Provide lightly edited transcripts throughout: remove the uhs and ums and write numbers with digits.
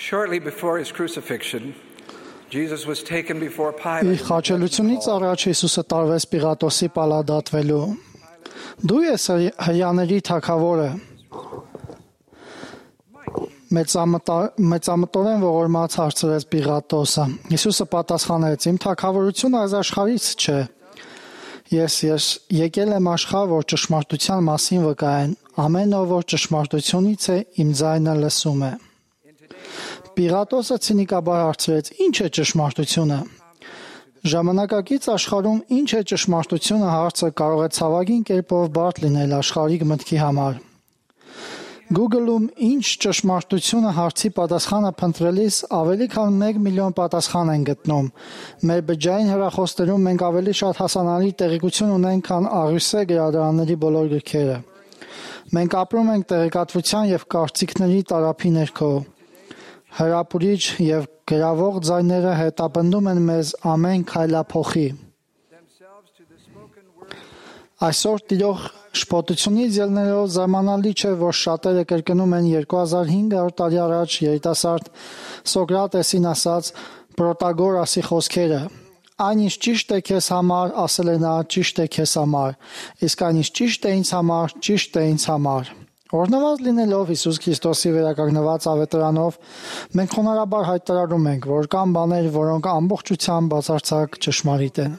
Shortly before his crucifixion, Jesus was taken before Իր Pilate. խաչելությունից առաջ Հիսուսը տարվեց Պիղատոսի պալադատվելու։ Դու ես հրյաների թագավորը։ Մեծամտորեն ողորմած հարցրեց Պիղատոսը։ Հիսուսը պատասխանեց. Իմ թագավորությունը այս աշխարհից չէ։ Ես եկել եմ աշխարհ, որ ճշմարտության մասին վկայեն։ Ամեն ով որ ճշմարտությունից է, իմ ձայնը լսում է։ Պիղատոսը ցինիկաբար հարցրեց. Ինչ է ճշմարտությունը։ Ժամանակակից աշխարհում ինչ է ճշմարտությունը հարցը կարող է ցավագին կերպով բարդ լինել աշխարհիկ մտքի համար։ Google-ում ինչ ճշմարտությունը հարցի պատասխանը փնտրելիս ավելի քան 1 միլիոն պատասխան են գտնում։ Մեր բջջային հեռախոսներում մենք ավելի շատ հասանելի տեղեկություն ունենք, քան աղյուսե գրադարանների բոլոր գրքերը։ Մենք ապրում ենք տեղեկատվության եւ կարծիքների տարափի ներքո։ Հրապուրիչ եւ գրավող ձայները հետապնդում են մեզ ամեն քայլափոխի։ Այսօր տիրող շփոթությունից ելնելով զարմանալի չէ, որ շատերը կրկնում են 2500 տարի առաջ երիտասարդ Սոկրատեսին ասած Պրոտագորասի խոսքերը։ Այն ինչ ճիշտ է քեզ համար, ասել է նա, ճիշտ է քեզ համար, իսկ այն ինչ ճիշտ է ինձ համար, ճիշտ է ինձ համար։ Օրհնված լինելով Հիսուս Քրիստոսի վերականգնված ավետարանով, մենք խոնարհաբար հայտարարում ենք, որ կան բաներ, որոնք ամբողջությամբ բացարձակ ճշմարիտ են։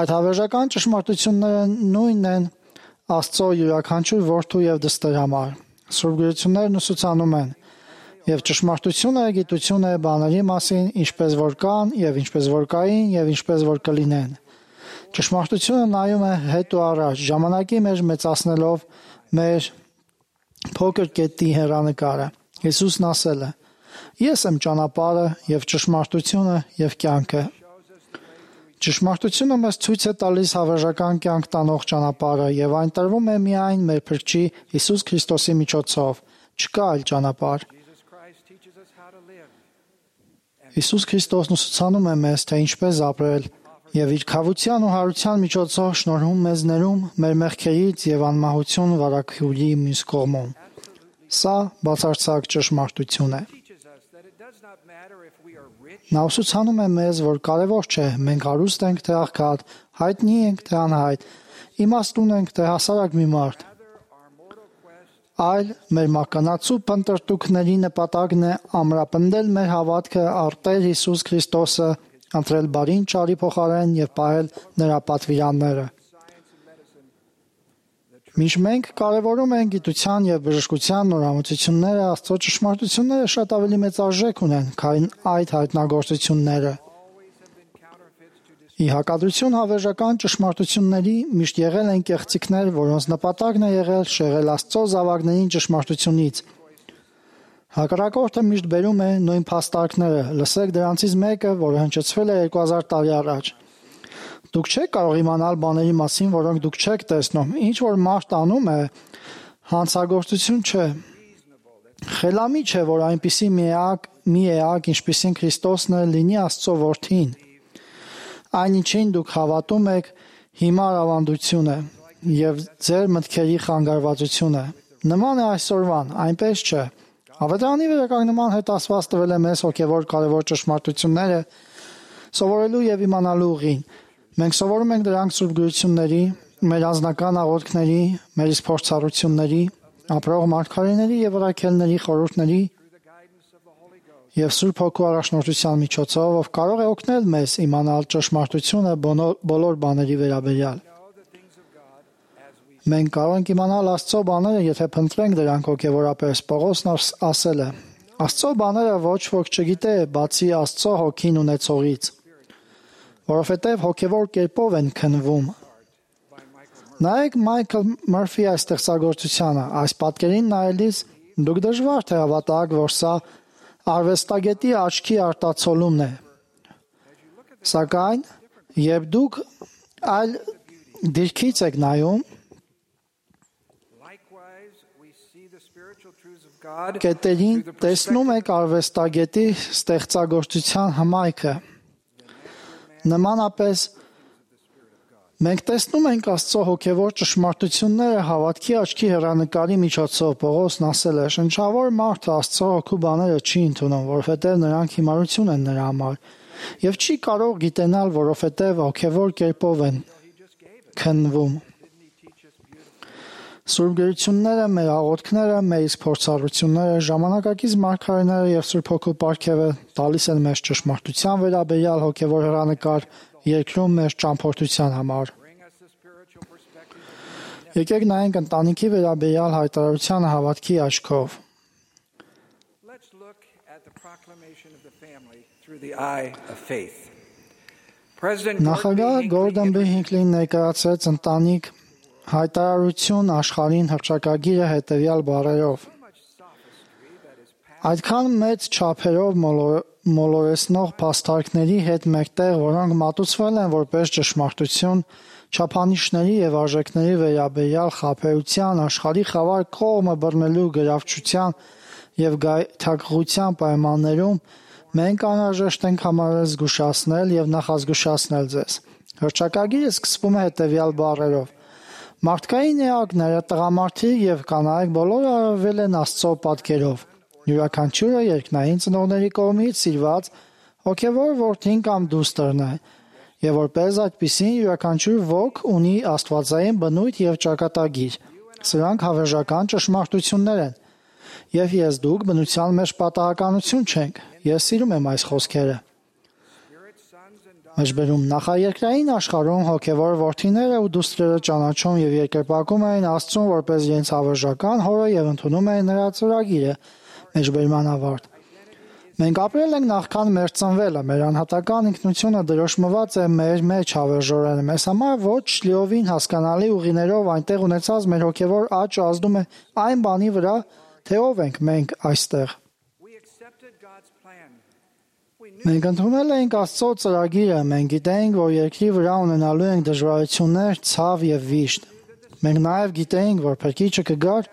Այդ հավերժական ճշմարտությունները նույնն են Աստծո յուրաքանչյուր որդու եւ դստեր համար։ Սուրբ գրություններն ուսուցանում են, եւ ճշմարտությունը գիտություն է բաների մասին, ինչպես որ կան եւ ինչպես որ կային եւ ինչպես որ կլինեն։ Ճշմարտությունը նայում է հետ ու առաջ, ժամանակի մեջ մեծացնելով մեր փոքր կետի հեռանկարը։ Հիսուսն ասել է. Ես եմ ճանապարհը եւ ճշմարտությունը եւ կյանքը։ Ճշմարտությունը մեզ ցույց է տալիս հավերժական կյանք տանող ճանապարհը եւ այն տրվում է միայն մեր Փրկչի Հիսուս Քրիստոսի միջոցով։ Չկա այլ ճանապարհ։ Հիսուս Քրիստոսն ուսուցանում է մեզ, թե ինչպես ապրել եւ իր քավության ու հարության միջոցով շնորհում մեզ ներում մեր մեղքերից եւ անմահություն վարակյուրի մյուս կողմում։ Սա բացարձակ ճշմարտություն է։ Նա ուսուցանում է մեզ, որ կարևոր չէ մենք հարուստ ենք թե աղքատ, հայտնի ենք թե անհայտ, իմաստուն ենք թե հասարակ մի մարդ, այլ մեր մականացու փնտրտուքների նպատակն է ամրապնդել մեր հավատքը առ Տեր Հիսուս Քրիստոսը, ընտրել բարին ճարի փոխարեն եւ պահել նրա պատվիրանները։ Մինչ մենք կարևորում ենք գիտության եւ բժշկության նորամուծությունները, Աստծո ճշմարտությունները շատ ավելի մեծ արժեք ունեն, քան այդ հայտնագործությունները։ Ի հակադրություն հավերժական ճշմարտությունների միշտ եղել են կեղծիքներ, որոնց նպատակն է եղել շեղել Աստծո զավակներին ճշմարտությունից։ Հակառակորդը միշտ բերում է նույն փաստարկները։ Լսեք դրանցից մեկը, որը հնչեցվել է 2000 տարի առաջ։ Դուք չեք կարող իմանալ բաների մասին, որոնք դուք չեք տեսնում։ Ինչ որ մարդ անում է, հանցագործություն չէ։ Խելամի չէ, որ այնպիսի մի էակ, ինչպիսին Քրիստոսն է, լինի Աստծո որդին։ Այն ինչին դուք հավատում եք, հիմար ավանդություն է եւ ձեր մտքերի խանգարվածությունը։ Նման է այսօրվան, այնպես չէ։ Ավետարանի վերականգնման հետ Աստված տվել է մեզ հոգևոր կարևոր ճշմարտությունները սովորելու եւ իմանալու ուղին։ Մենք սովորում ենք դրանք Սուրբ գրությունների, մեր անձնական աղոթքների, մեր իսկ փորձառությունների, ապրող մարգարեների եւ առաքելների խորհուրդների եւ Սուրբ Հոգու առաջնորդության միջոցով, ով կարող է օգնել մեզ իմանալ ճշմարտությունը բոլոր բաների վերաբերյալ։ Մենք կարող ենք իմանալ Աստծո բաները, եթե փնտրենք դրանք հոգևորապես։ Պողոսն ասել է. Աստծո բաները ոչ ոք չգիտե, բացի Աստծո հոգին ունեցողից, որովհետև հոգևոր կերպով են քննվում։ Նայեք Մայքլ Մըրֆի այս ստեղծագործությանը, այս պատկերին նայելիս դուք դժվար թե հավատաք, որ սա արվեստագետի աչքի արտացոլումն է։ Սակայն, երբ դուք այլ դիրքից եք նայում, կետերին տեսնում եք արվեստագետի ստեղծագործության հմայքը։ Նմանապես Մենք տեսնում ենք Աստծո հոգևոր ճշմարտությունները հավատքի աչքի հեռանկարի միջոցով։ Պողոսն ասել է. «Շնչավոր մարդը Աստծո հոգու բաները չի ընդունում, որովհետև նրանք հիմարություն են նրա համար, եւ չի կարող գիտենալ, որովհետև հոգևոր կերպով են քննվում»։ Սուրբ գրությունները, մեր աղոթքները, մեր իսկ փորձառությունները, ժամանակակից մարգարեները եւ Սուրբ Հոգու պարգևը տալիս են մեզ ճշմարտության վերաբերյալ հոգևոր հեռանկար երկրում մեր ճամփորդության համար։ Եկեք նայենք ընտանիքի վերաբերյալ հայտարարությանը հավատքի աչքով։ Նախագահ Գորդոն B. Հինքլին ներկայացրեց ընտանիք հայտարարություն աշխարհին հռչակագիրը հետևյալ բառերով. «Այդքան մեծ չափերով մոլորեցնող փաստարկների հետ մեկտեղ, որոնք մատուցվել են որպես ճշմարտություն, չափանիշների եւ արժեքների վերաբերյալ խաբեության, աշխարհի խավար կողմը բռնելու գրավչության եւ գայթակղության պայմաններում, մենք անհրաժեշտ ենք համարել զգուշացնել եւ նախազգուշացնել ձեզ։ Հռչակագիրը սկսվում է հետևյալ բառերով. Մարդկային էակները, տղամարդիկ եւ կանայք բոլորը արարվել են Աստծո պատկերով։ Յուրաքանչյուրը երկնային ծնողների կողմից սիրված հոգևոր որդին կամ դուստրն է, եւ որպես այդպիսին յուրաքանչյուր ոգ ունի աստվածային բնույթ եւ ճակատագիր։ Սրանք հավերժական ճշմարտություններ են։ Եվ ես դուք բնության մեջ պատահականություն չենք։ Ես սիրում եմ այս խոսքերը։ Մեջբերում նախաերկրային աշխարհում հոգևոր որդիները ու դուստրերը ճանաչում եւ երկրպագում էին Աստծուն որպես իրենց հավերժական հորը եւ ընդունում էին նրա ծրագիրը։ Մեջբերման ավարտ։ Մենք ապրել ենք նախքան մեր ծնվելը, մեր անհատական ինքնությունը դրոշմված է մեր մեջ հավերժորեն։ Մեզ համար ոչ լիովին հասկանալի ուղիներով այնտեղ ունեցած մեր հոգևոր աճը ազդում է այն բանի վրա, թե ով ենք մենք այստեղ։ Մենք ընդունել ենք Աստծո ծրագիրը, մենք գիտեինք, որ երկրի վրա ունենալու ենք դժվարություններ, ցավ եւ վիշտ։ Մենք նաեւ գիտեինք, որ Փրկիչը կգար,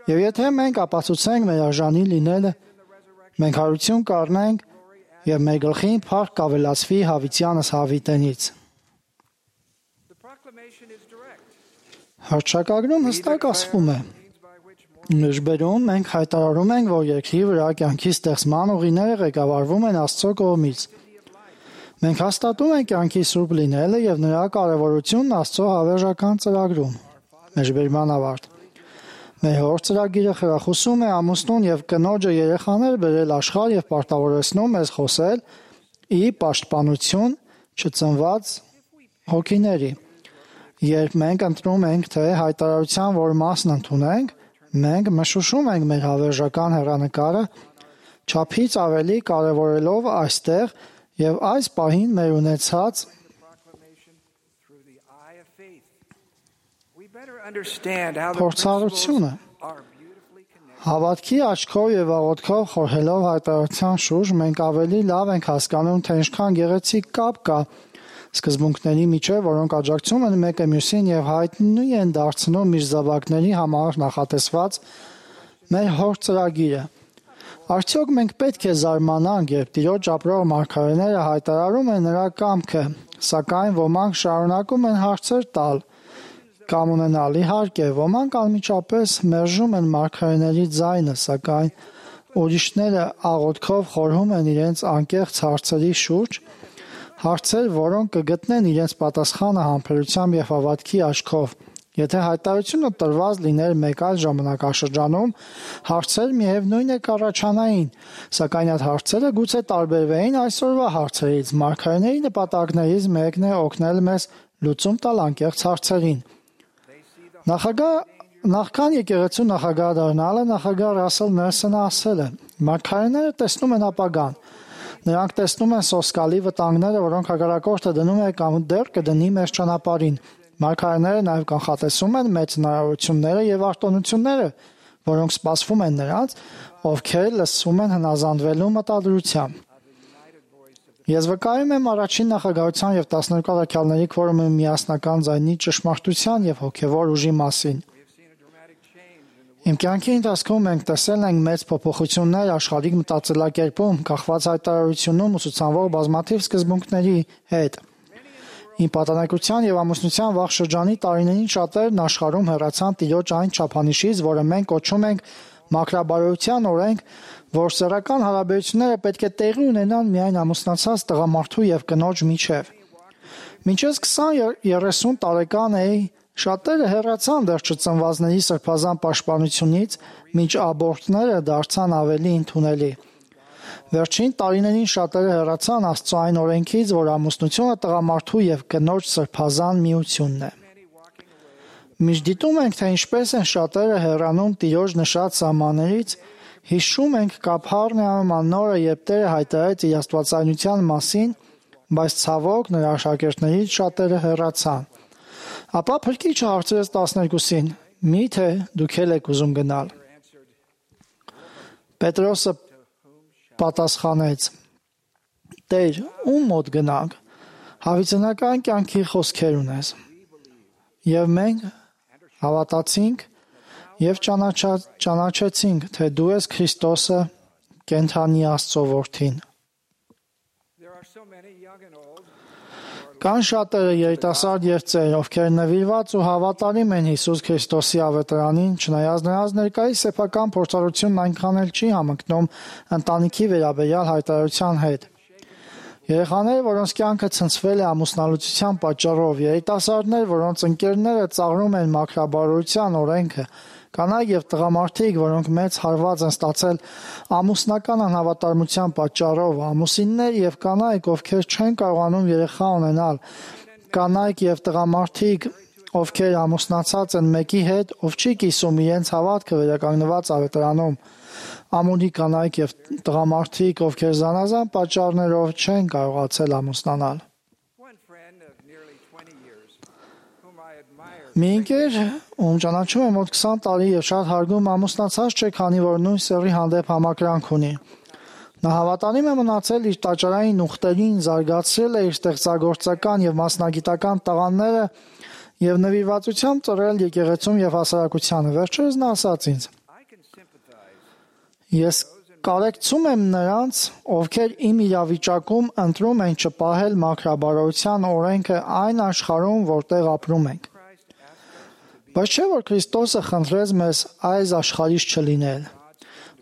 եւ եթե մենք ապացուցենք մեր արժանի լինելը, մենք հարություն կառնենք եւ մեր գլխին փառք կավելացվի հավիտյանս հավիտենից։ Հռչակագրում հստակ ասվում է. Մեջբերում մենք հայտարարում ենք, որ երկրի վրա կյանքի ստեղծման ուղիները ղեկավարվում են Աստծո կողմից։ Մենք հաստատում ենք կյանքի սուրբ լինելը եւ նրա կարեւորությունն Աստծո հավերժական ծրագրում։ Մեջբերման ավարտ։ Մեր հոր ծրագիրը խրախուսում է ամուսնուն եւ կնոջը երեխաներ բերել աշխարհ եւ պարտավորեցնում մեզ խոսել ի պաշտպանություն չծնված հոգիների։ Երբ մենք ընտրում ենք, թե հայտարարության որ մասն ընդունենք, մենք մշուշում ենք մեր հավերժական հեռանկարը, չափից ավելի կարևորելով այստեղ եւ այս պահին մեր ունեցած փորձառությունը։ Հավատքի աչքով եւ աղոթքով խորհելով հայտարարության շուրջ մենք ավելի լավ ենք հասկանում, թե ինչքան գեղեցիկ կապ կա սկզբունքների միջև, որոնք աջակցում են մեկը մյուսին եւ հայտնի են դարձնում միջզավակների համար նախատեսված մեր հոր ծրագիրը։ Արդյոք մենք պետք է զարմանանք, երբ Տիրոջ ապրող մարգարեները հայտարարում են նրա կամքը, սակայն ոմանք շարունակում են հարցեր տալ կամ ունենալ։ Իհարկե, ոմանք անմիջապես մերժում են մարգարեների ձայնը, սակայն ուրիշները աղոթքով խորհում են իրենց անկեղծ հարցերի շուրջ, հարցեր, որոնք կգտնեն իրենց պատասխանը համբերությամբ եւ հավատքի աչքով։ Եթե հայտարարությունը տրված լիներ մեկ այլ ժամանակաշրջանում, հարցեր միևնույն է կառաջանային, սակայն այդ հարցերը գուցե տարբերվեին այսօրվա հարցերից։ Մարգարեների նպատակներից մեկն է օգնել մեզ լուծում տալ անկեղծ հարցերին։ Նախքան եկեղեցու նախագահ դառնալը նախագահ Ռասել Նելսոնը ասել է. «Մարգարեները տեսնում են ապագան։ Նրանք տեսնում են սոսկալի վտանգները, որոնք հակառակորդը դնում է կամ դեռ կդնի մեր ճանապարհին։ Մարգարեները նաև կանխատեսում են մեծ հնարավորությունները եւ արտոնությունները, որոնք սպասվում են նրանց, ովքեր լսում են հնազանդվելու մտադրությամբ»։ Ես վկայում եմ առաջին նախագահության եւ 12 առաքյալների քվորումի միասնական ձայնի ճշմարտության եւ հոգեվոր ուժի մասին։ Իմ կյանքի ընթացքում մենք տեսել ենք մեծ փոփոխություններ աշխարհիկ մտածելակերպում, կախված հայտարարությունում ուսուցանվող բազմաթիվ սկզբունքների հետ։ Իմ պատանեկության եւ ամուսնության վաղ շրջանի տարիներին շատերն աշխարհում հեռացան Տիրոջ այն չափանիշից, որը մենք կոչում ենք մաքրաբարոյության օրենք, որ սեռական հարաբերությունները պետք է տեղի ունենան միայն ամուսնացած տղամարդու եւ կնոջ միջեւ։ Մինչև 20-30 տարեկան էի, շատերը հեռացան դեռ չծնվածների սրբազան պաշտպանությունից, մինչ աբորտները դարձան ավելի ընդունելի։ Վերջին տարիներին շատերը հեռացան Աստծո այն օրենքից, որ ամուսնությունը տղամարդու եւ կնոջ սրբազան միությունն է։ Միշտ դիտում ենք, թե ինչպես են շատերը հեռանում Տիրոջ նշած սահմաններից, հիշում ենք Կափառնեում աննորը, երբ Տերը հայտարարեց իր աստվածայնության մասին, բայց ցավոք նրա աշակերտներից շատերը հեռացան։ Ապա Փրկիչը հարցրեց 12-ին. «Միթե դուք էլ եք ուզում գնալ»։ Պետրոսը պատասխանեց. «Տեր, ում մոտ գնանք, հավիտենական կյանքի խոսքեր ունես»։ Եվ մենք հավատացինք եւ ճանաչեցինք, թե դու ես Քրիստոսը, կենդանի Աստծո Որդին։ Կան շատերը երիտասարդ եւ ծեր, ովքեր նվիրված ու հավատարիմ են Հիսուս Քրիստոսի ավետարանին, չնայած նրանց ներկայիս սեփական փորձառությունն այնքան էլ չի համընկնում ընտանիքի վերաբերյալ հայտարարության հետ։ Երեխաներ, որոնց կյանքը ցնցվել է ամուսնալուծության պատճառով, երիտասարդներ, որոնց ընկերները ծաղրում են մաքրաբարոյության օրենքը, կանայք եւ տղամարդիկ, որոնք մեծ հարված են ստացել ամուսնական անհավատարմության պատճառով, ամուսիններ եւ կանայք, ովքեր չեն կարողանում երեխա ունենալ, կանայք եւ տղամարդիկ, ովքեր ամուսնացած են մեկի հետ, ով չի կիսում իրենց հավատքը վերականգնված ավետարանում, ամունի կանայք եւ տղամարդիկ, ովքեր զանազան պատճառներով չեն կարողացել ամուսնանալ։ Մի ընկեր, ում ճանաչում եմ մոտ 20 տարի եւ շատ հարգում, ամուսնացած չէ, քանի որ նույն սեռի հանդեպ համակրանք ունի։ Նա հավատարիմ է մնացել իր տաճարային ուխտերին, զարգացրել է իր ստեղծագործական եւ մասնագիտական տաղանդները եւ նվիրվածությամբ ծռել եկեղեցում եւ հասարակությանը։ Վերջերս նա ասաց ինձ. «Ես կարեկցում եմ նրանց, ովքեր իմ իրավիճակում ընտրում են չպահել մաքրաբարոյության օրենքը այն աշխարհում, որտեղ ապրում ենք։ Բայց չէ՞ որ Քրիստոսը խնդրեց մեզ այս աշխարհից չլինել։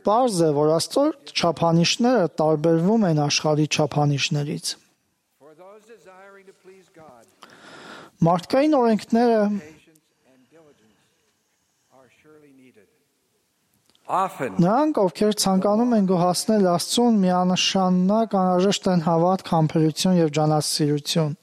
Պարզ է, որ Աստծո չափանիշները տարբերվում են աշխարհի չափանիշներից։ Մարդկային օրենքները նրանք, ովքեր ցանկանում են գոհացնել Աստծուն, միանշանակ անհրաժեշտ են հավատք, համբերություն եւ ջանասիրություն։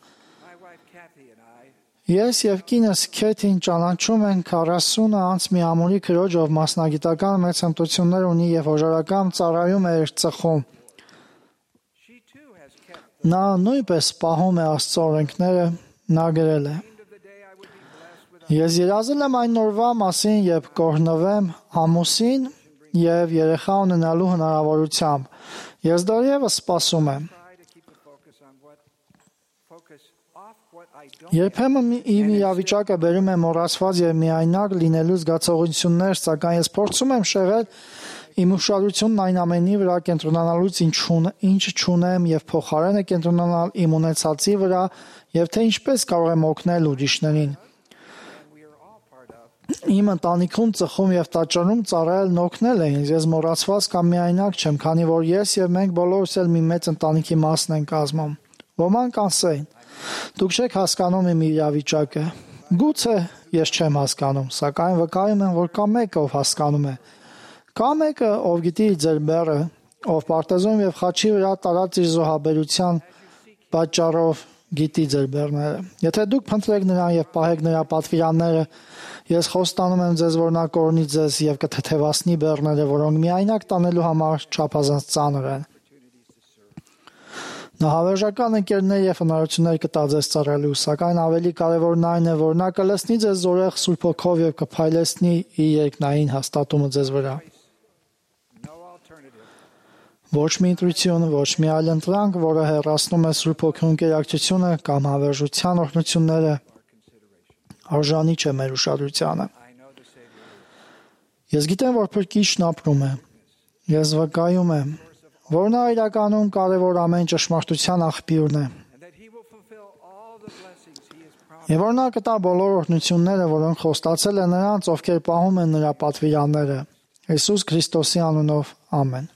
Ես եւ կինս Քեթին ճանաչում ենք 40 անց մի ամուրի քրոջ, ով մասնագիտական մեծ հմտություններ ունի եւ հոժարական ծառայում է իր ծխում։ Նա նույնպես պահում է Աստծո օրենքները, նա գրել է. Ես երազել եմ այն օրվա մասին, երբ կօրհնվեմ ամուսին եւ երեխա ունենալու հնարավորությամբ։ Ես դեռևս սպասում եմ։ Երբեմն իմ իրավիճակը բերում է մոռացված եւ միայնակ լինելու զգացողություններ, սակայն ես փորձում եմ շեղել իմ ուշադրությունն այն ամենի վրա կենտրոնանալուց, ինչ չունեմ եւ փոխարենը կենտրոնանալ իմ ունեցածի վրա եւ թե ինչպես կարող եմ օգնել ուրիշներին։ Իմ ընտանիքում ծխում եւ տաճարում ծառայելն օգնել է ինձ, ես մոռացված կամ միայնակ չեմ, քանի որ ես եւ մենք բոլորս էլ մի մեծ ընտանիքի մասն ենք կազմում։ Ոմանք ասեն. Դուք չեք հասկանում իմ իրավիճակը։ Գուցե ես չեմ հասկանում, սակայն վկայում եմ, որ կա մեկը, ով հասկանում է։ Կա մեկը, ով գիտի ձեր բեռը, ով պարտեզում եւ խաչի վրա տարած իր զոհաբերության պատճառով գիտի ձեր բեռները։ Եթե դուք փնտրեք նրան եւ պահեք նրա պատվիրանները, ես խոստանում եմ ձեզ, որ նա կօրհնի ձեզ եւ կթեթևացնի բեռները, որոնք միայնակ տանելու համար չափազանց ծանր են։ Նա հավերժական ընկերներ եւ հնարավորություններ կտա ձեզ ծառայելու, սակայն ավելի կարևորն այն է, որ նա կլցնի ձեզ զորեղ Սուրբ Հոգով եւ կփայլեցնի իր երկնային հաստատումը ձեզ վրա։ Ոչ մի ընտրություն, ոչ մի այլ ընտրանք, որը հեռացնում է Սուրբ Հոգու ընկերակցությունը կամ հավերժության օրհնությունները, արժանի չէ մեր ուշադրությանը։ Ես գիտեմ, որ Փրկիչն ապրում է։ Ես վկայում եմ, որ նա իրականում կարևոր ամեն ճշմարտության աղբյուրն է։ Եվ որ նա կտա բոլոր օրհնությունները, որոնք խոստացել է նրանց, ովքեր պահում են նրա պատվիրանները։ Հիսուս Քրիստոսի անունով, ամեն։